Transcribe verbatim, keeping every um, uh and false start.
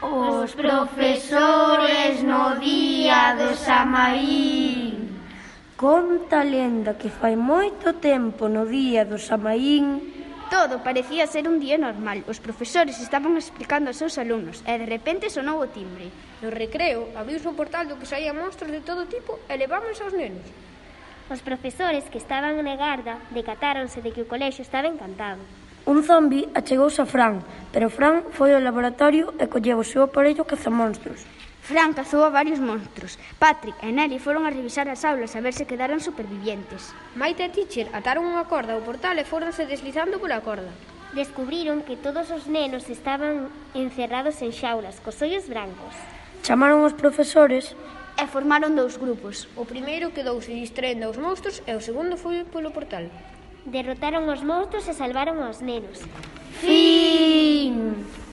Os profesores no día do Samaín. Conta a lenda que fai moito tempo no día do Samaín todo parecía ser un día normal. Os profesores estaban explicando aos seus alumnos e de repente sonou o timbre. No recreo abriuse o portal do que saían monstros de todo tipo e levábanse aos nenos. Os profesores que estaban na garda decatáronse de que o colexio estaba encantado. Un zombi achegouse a Fran, pero Fran foi ao laboratorio e colleu o seu aparello cazamonstros. Fran cazou a varios monstros. Patrick e Nelly foron a revisar as aulas a ver se quedaran supervivientes. Maite e Teacher ataron unha corda ao portal e fóronse deslizando pola corda. Descubriron que todos os nenos estaban encerrados en xaulas, cos ollos brancos. Chamaron os profesores e formaron dous grupos. O primeiro quedouse distraendo aos monstros e o segundo foi polo portal. Derrotaron os monstros e salvaron aos nenos. Fin!